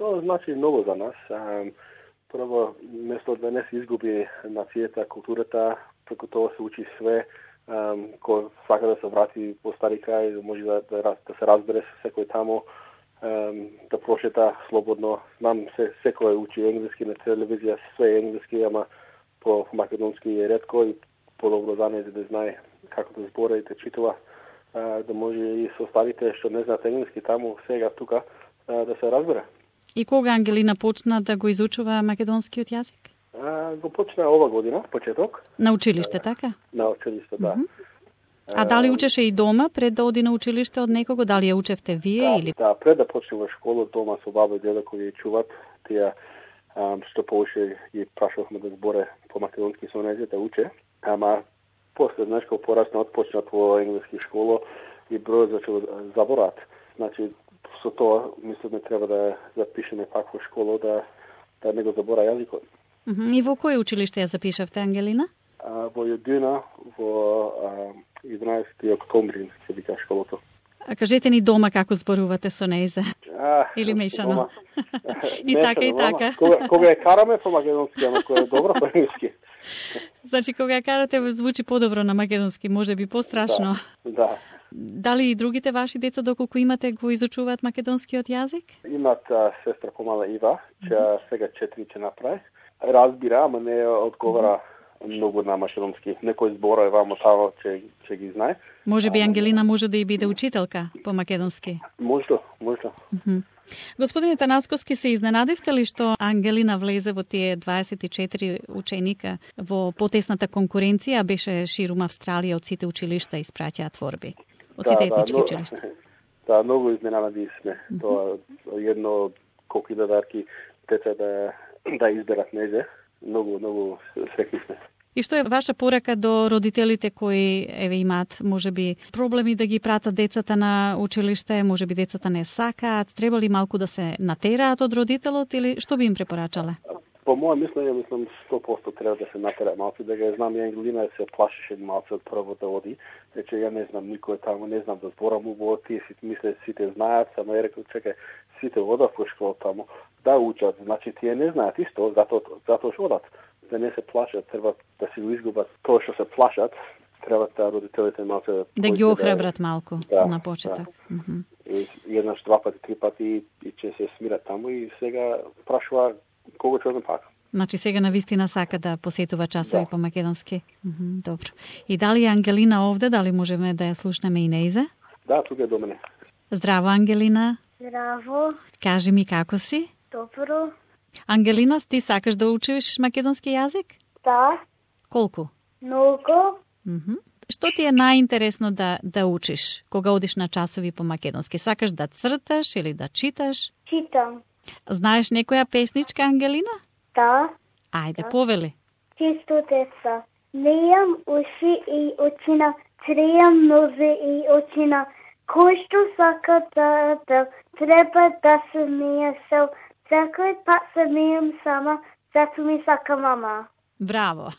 Тоа значи многу за нас. Прво, место да не се изгуби нацијата, културата, преку тоа се учи све. Кој сака да се врати по стари крај, може да се разбере со секој таму, да прошета слободно. Знам, секој учи енглески на телевизија, све енглески, ама по македонски е ретко и подобро за нејзе да знае како да збора и да читува, да може и со старите што не знаат енглески таму, сега тука, да се разбере. И кога Ангелина почна да го изучува македонскиот јазик? Го почна ова година, почеток. На училиште, така? На училиште, да. А дали учеше и дома пред да оди на училиште од некого? Дали ја учевте вие или? Да, пред да почне во школа, дома со баба и дедо кои ја чуват, тие што повеќе ги прашувавме да зборе по македонски со нејзе да уче. Ама после, знаеш, кога пораснат, почнат во енглески школа и број зачува заборат. Значи, со тоа, мислиме, треба да запишеме пак во школа, да не го забора јазикот. И во кој училиште ја запишавте, Ангелина? Во Јудина, во 11 октомври, се вика школото. А кажете ни дома како зборувате со нејзе? Или мешано? И така, и така. Кога ја караме по македонски, ама кога е добро по енглески. Значи, кога ја карате, звучи подобро на македонски, може би пострашно. Да. Дали и другите ваши деца, доколку имате, го изучуваат македонскиот јазик? Имат сестра помала Ива, че сега 4 ќе направи. Разбира, ама не одговара многу на македонски. Некој збора е вамо тамо, че ги знае. Може би Ангелина може да и биде учителка по македонски. Може. Господине Танасковски, се изненадивте ли што Ангелина влезе во тие 24 ученика во потесната конкуренција, беше ширум Австралија, од сите училишта испраќаа творби? Од сите етнички училишта? Да, многу изненади сме. Тоа едно колку дарки деца да изберат нејзе. Многу среќни сме. И што е ваша порака до родителите кои имаат можеби проблеми да ги пратат децата на училиште, можеби децата не сакаат, треба ли малку да се натераат од родителот или што би им препорачале? По моје мислење, 100% треба да се натера малку, да ga знам, Ангелина се плашеше малку од прво да оди, рече ја не знам никој таму, не знам да зборам убаво, тие мисле сите знаат, само ја рекол чекај, сите одат во школа таму, да учат, значи тие не знаат исто, затоа што одат. Да не се плашат, треба да си го изгубат тоа што се плашат, треба да родителите малку да ги охрабрат малку на почеток. И еднаш, два пати, три пати и ќе се смират таму и сега прашува кога ќе одам пак. Значи сега навистина сака да посетува часови по македонски. Добро. И дали Ангелина овде, дали можеме да ја слушнеме и нејзе? Да, тука е до мене. Здраво, Ангелина. Здраво. Кажи ми како си? Добро. Ангелина, ти сакаш да учиш македонски јазик? Да. Колку? Многу. Што ти е најинтересно да учиш кога одиш на часови по македонски? Сакаш да црташ или да читаш? Читам. Знаеш некоја песничка, Ангелина? Да. Ајде, повели. Чисто деца. Нејам уши и очина, трејам нозе и очина. Кој што сака да треба да се смее сел. Секој пат се смејам сама, зато ми сака мама. Браво.